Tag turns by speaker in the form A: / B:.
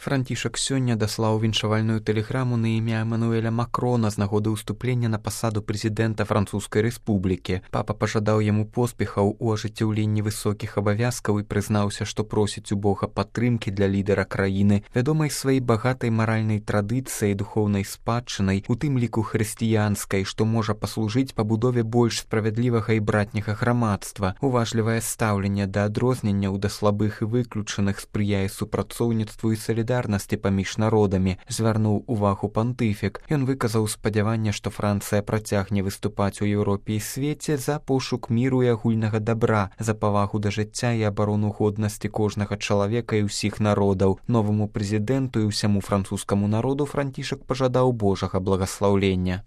A: Францішак сёння даслаў віншавальную тэлеграму на імя Эмануэля Макрона з нагоды ўступлення на пасаду прэзідэнта Французскай рэспублікі. Папа пажадаў яму поспехаў у ажыццяўленні высокіх абавязкаў і прызнаўся, што просіць у Бога падтрымкі для лідара краіны, вядомай сваёй багатай маральнай традыцыяй, духоўнай спадчынай, у тым ліку хрысціянскай, што можа паслужыць пабудове больш справядлівага і братняга грамадства. Уважлівае стаўленне да адрозненняў, да слабых і выключаных спрыяе супрацоўніцтву і салідарнасці паміж народамі, звярнуў увагу пантыфік. Ён выказаў спадзяванне, што Францыя працягне выступаць у Еўропе і свеце за пошук міру і агульнага дабра, за павагу да жыцця і абарону годнасці кожнага чалавека і ўсіх народаў. Новаму прэзідэнту і ўсяму французскаму народу Францішак пажадаў Божага благаслаўлення.